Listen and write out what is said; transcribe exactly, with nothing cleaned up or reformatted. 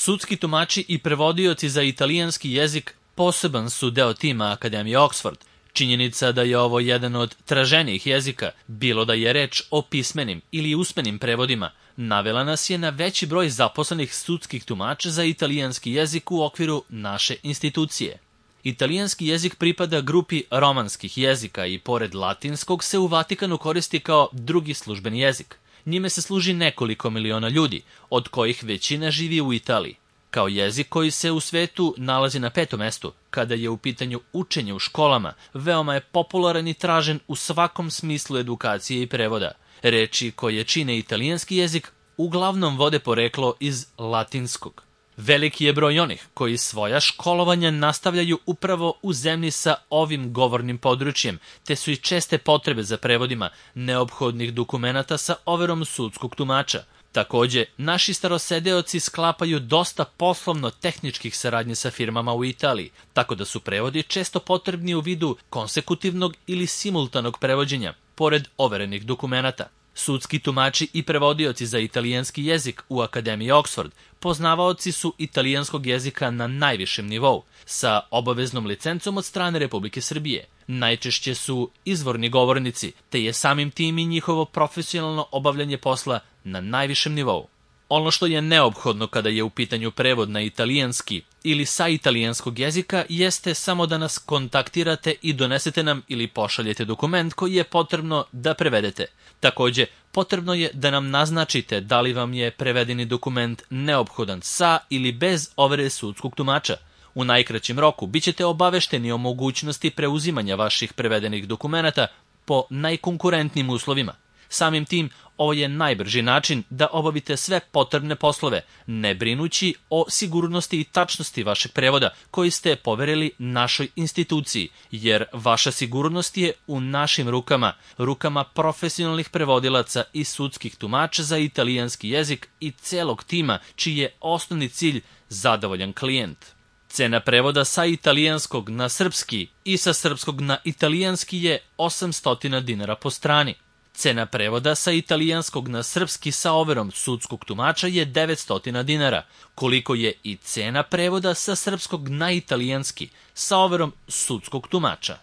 Sudski tumači i prevodioci za italijanski jezik poseban su deo tima Akademije Oxford. Činjenica da je ovo jedan od traženijih jezika, bilo da je reč o pismenim ili usmenim prevodima, navela nas je na veći broj zaposlenih sudskih tumača za italijanski jezik u okviru naše institucije. Italijanski jezik pripada grupi romanskih jezika i pored latinskog se u Vatikanu koristi kao drugi službeni jezik. Njime se služi nekoliko miliona ljudi, od kojih većina živi u Italiji. Kao jezik koji se u svetu nalazi na petom mestu, kada je u pitanju učenje u školama, veoma je popularan i tražen u svakom smislu edukacije i prevoda. Reči koje čine italijanski jezik uglavnom vode poreklo iz latinskog. Veliki je broj onih koji svoja školovanja nastavljaju upravo u zemlji sa ovim govornim područjem, te su i česte potrebe za prevodima neophodnih dokumenata sa overom sudskog tumača. Takođe, naši starosedeoci sklapaju dosta poslovno-tehničkih saradnje sa firmama u Italiji, tako da su prevodi često potrebni u vidu konsekutivnog ili simultanog prevođenja, pored overenih dokumenata. Sudski tumači i prevodioci za italijanski jezik u Akademiji Oxford poznavaoci su italijanskog jezika na najvišem nivou, sa obaveznom licencom od strane Republike Srbije. Najčešće su izvorni govornici, te je samim tim i njihovo profesionalno obavljanje posla na najvišem nivou. Ono što je neophodno kada je u pitanju prevod na italijanski ili sa italijanskog jezika jeste samo da nas kontaktirate i donesete nam ili pošaljete dokument koji je potrebno da prevedete. Takođe, potrebno je da nam naznačite da li vam je prevedeni dokument neophodan sa ili bez overe sudskog tumača. U najkraćem roku bit ćete obavešteni o mogućnosti preuzimanja vaših prevedenih dokumenata po najkonkurentnijim uslovima. Samim tim, ovo je najbrži način da obavite sve potrebne poslove, ne brinući o sigurnosti i tačnosti vašeg prevoda koji ste poverili našoj instituciji, jer vaša sigurnost je u našim rukama, rukama profesionalnih prevodilaca i sudskih tumača za italijanski jezik i celog tima, čiji je osnovni cilj zadovoljan klijent. Cena prevoda sa italijanskog na srpski i sa srpskog na italijanski je osamsto dinara po strani. Cena prevoda sa italijanskog na srpski sa overom sudskog tumača je devetsto dinara, koliko je i cena prevoda sa srpskog na italijanski sa overom sudskog tumača.